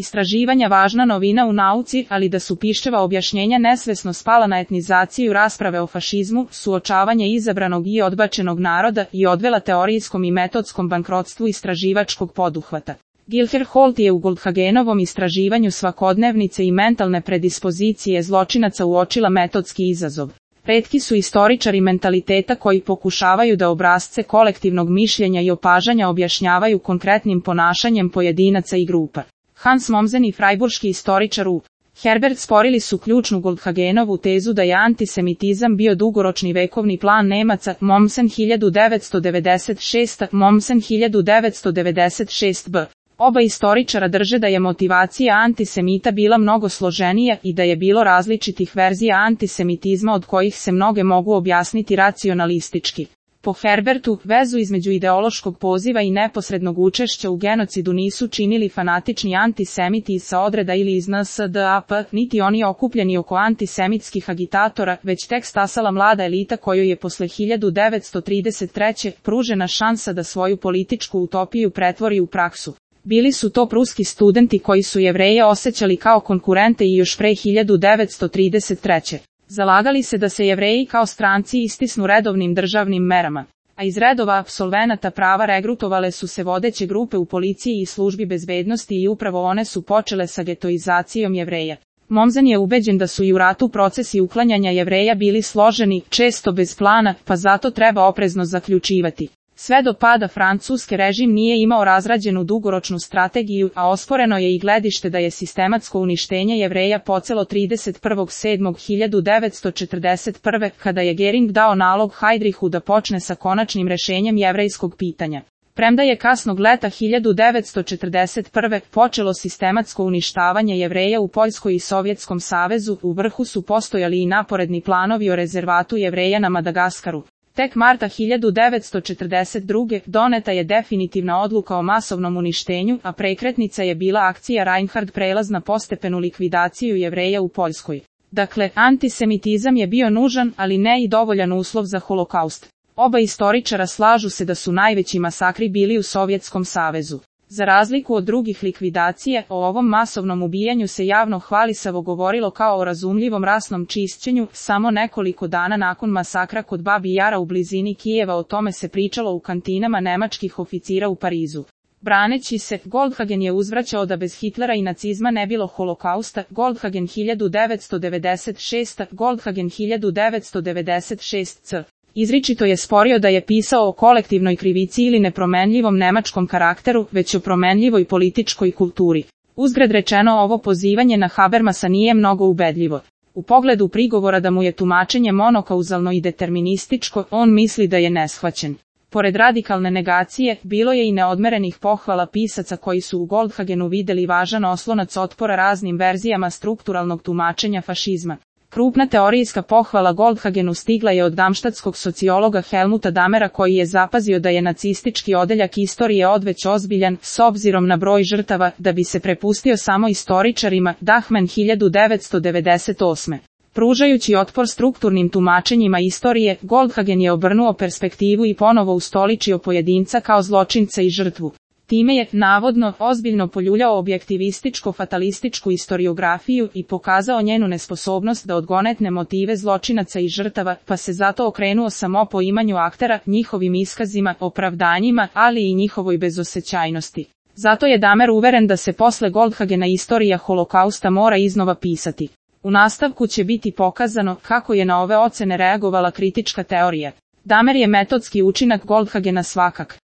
istraživanja važna novina u nauci, ali da su Piščeva objašnjenja nesvesno spala na etnizaciju rasprave o fašizmu, suočavanje izabranog i odbačenog naroda i odvela teorijskom i metodskom bankrotstvu istraživačkog poduhvata. Gilher Holt je u Goldhagenovom istraživanju svakodnevnice i mentalne predispozicije zločinaca uočila metodski izazov. Retki su istoričari mentaliteta koji pokušavaju da obrasce kolektivnog mišljenja i opažanja objašnjavaju konkretnim ponašanjem pojedinaca i grupa. Hans Mommsen i frajburški istoričar U. Herbert sporili su ključnu Goldhagenovu tezu da je antisemitizam bio dugoročni vekovni plan Nemaca, Mommsen 1996, Mommsen 1996b. Oba istoričara drže da je motivacija antisemita bila mnogo složenija i da je bilo različitih verzija antisemitizma od kojih se mnoge mogu objasniti racionalistički. Po Herbertu, vezu između ideološkog poziva i neposrednog učešća u genocidu nisu činili fanatični antisemiti sa odreda ili iz NSDAP, niti oni okupljeni oko antisemitskih agitatora, već tek stasala mlada elita kojoj je posle 1933. pružena šansa da svoju političku utopiju pretvori u praksu. Bili su to pruski studenti koji su Jevreje osjećali kao konkurente i još pre 1933. Zalagali se da se Jevreji kao stranci istisnu redovnim državnim merama, a iz redova apsolvenata prava regrutovale su se vodeće grupe u policiji i službi bezbednosti i upravo one su počele sa getoizacijom Jevreja. Mommsen je ubeđen da su i u ratu procesi uklanjanja Jevreja bili složeni, često bez plana, pa zato treba oprezno zaključivati. Sve do pada Francuske režim nije imao razrađenu dugoročnu strategiju, a osporeno je i gledište da je sistematsko uništenje Jevreja počelo 31.7.1941. kada je Göring dao nalog Heydrichu da počne sa konačnim rešenjem jevrejskog pitanja. Premda je kasnog leta 1941. počelo sistematsko uništavanje Jevreja u Poljskoj i Sovjetskom savezu, u vrhu su postojali i naporedni planovi o rezervatu Jevreja na Madagaskaru. Tek marta 1942. doneta je definitivna odluka o masovnom uništenju, a prekretnica je bila akcija Reinhard prelaz na postepenu likvidaciju Jevreja u Poljskoj. Dakle, antisemitizam je bio nužan, ali ne i dovoljan uslov za holokaust. Oba istoričara slažu se da su najveći masakri bili u Sovjetskom savezu. Za razliku od drugih likvidacija, o ovom masovnom ubijanju se javno hvalisavo govorilo kao o razumljivom rasnom čišćenju, samo nekoliko dana nakon masakra kod Babi Jara u blizini Kijeva o tome se pričalo u kantinama nemačkih oficira u Parizu. Braneći se, Goldhagen je uzvraćao da bez Hitlera i nacizma ne bilo holokausta, Goldhagen 1996, Goldhagen 1996c. Izričito je sporio da je pisao o kolektivnoj krivici ili nepromenljivom nemačkom karakteru, već o promenljivoj političkoj kulturi. Uzgred rečeno, ovo pozivanje na Habermasa nije mnogo ubedljivo. U pogledu prigovora da mu je tumačenje monokauzalno i determinističko, on misli da je neshvaćen. Pored radikalne negacije, bilo je i neodmerenih pohvala pisaca koji su u Goldhagenu videli važan oslonac otpora raznim verzijama strukturalnog tumačenja fašizma. Krupna teorijska pohvala Goldhagenu stigla je od damštatskog sociologa Helmuta Damera koji je zapazio da je nacistički odeljak istorije odveć ozbiljan, s obzirom na broj žrtava, da bi se prepustio samo istoričarima, Dachmann 1998. Pružajući otpor strukturnim tumačenjima istorije, Goldhagen je obrnuo perspektivu i ponovo ustoličio pojedinca kao zločinca i žrtvu. Time je, navodno, ozbiljno poljuljao objektivističko-fatalističku istoriografiju i pokazao njenu nesposobnost da odgonetne motive zločinaca i žrtava, pa se zato okrenuo samo poimanju aktera, njihovim iskazima, opravdanjima, ali i njihovoj bezosećajnosti. Zato je Damer uveren da se posle Goldhagena istorija holokausta mora iznova pisati. U nastavku će biti pokazano kako je na ove ocene reagovala kritička teorija. Damer je metodski učinak Goldhagena svakak.